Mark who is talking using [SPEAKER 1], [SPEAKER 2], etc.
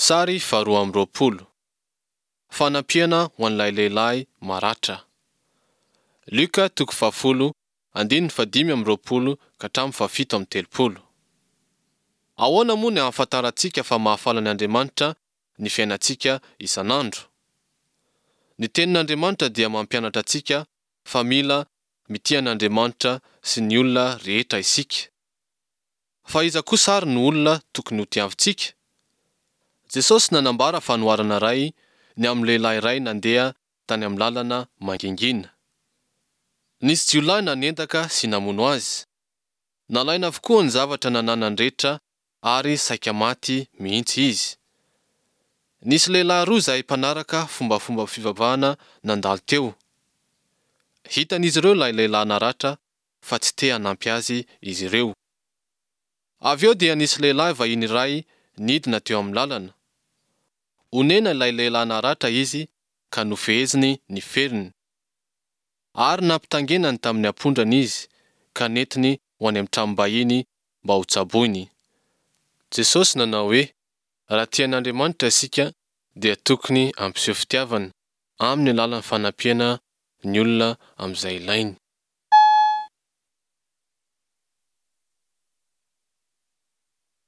[SPEAKER 1] Sary faharoa amby roapolo. Fanampiana ho an'ilay lehilahy maratra. Lioka toko fahafolo, andininy fahadimy amby roapolo ka hatramin'ny fahafito amby telopolo. Ahoana moa ny ahafantarantsika fa mahafaly an' Andriamanitra ny fiainantsika isan'andro? Ny Tenin'Andriamanitra dia mampianatra antsika fa mila mitia an'Andriamanitra sy ny olona rehetra isika. Fa iza kosa ary no olona tokony hotiavintsika? Jesosy nanambara fanoharana iray ny amin'ny lehilahy iray nandeha tany amin'ny lalana mangingina. Nisy jiolahy nanendaka sy namono azy. Nalaina avokoa ny zavatra nananany rehetra ary saika maty mihitsy izy. Nisy lehilahy roa izay mpanaraka fombafomba fivavahana nandalo teo. Hitan'izy ireo ilay lehilahy naratra fa tsy te hanampy azy izy ireo. Avy eo dia nisy lehilahy vahiny iray nidina teo amin'ny lalana. Onena ilay lehilahy naratra izy ka nofeheziny ny feriny. Ary nampitaingenany tamin'ny ampondrany izy ka nentiny ho any amin'ny tranom-bahiny mba hotsaboiny. Jesosy nanao hoe, Raha tia an'Andriamanitra isika dia tokony hampiseho fitiavana amin'ny alalan'ny fanampiana ny olona amin'izay ilainy.